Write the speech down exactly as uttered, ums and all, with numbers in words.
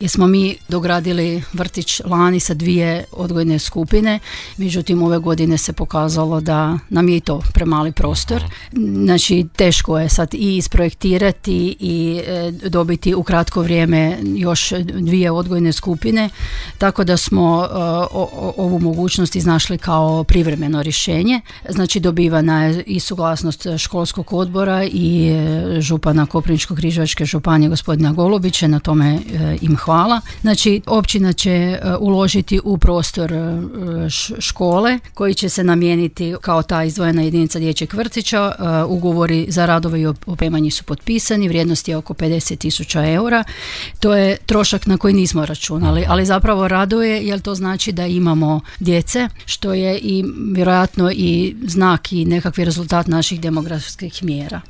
Jer smo mi dogradili vrtić lani sa dvije odgojne skupine, međutim ove godine se pokazalo da nam je i to premali prostor. Znači teško je sad i isprojektirati i e, dobiti u kratko vrijeme još dvije odgojne skupine, tako da smo e, o, ovu mogućnost iznašli kao privremeno rješenje. Znači dobivana je i suglasnost školskog odbora i e, župana Koprivničko-križevačke županije gospodina Golubića, na tome e, im hvala. Znači, općina će uložiti u prostor škole koji će se namijeniti kao ta izdvojena jedinica dječjeg vrtića. Ugovori za radove i opremanje su potpisani, vrijednost je oko pedeset tisuća eura. To je trošak na koji nismo računali, ali zapravo raduje jer to znači da imamo djece, što je i vjerojatno i znak i nekakvi rezultat naših demografskih mjera.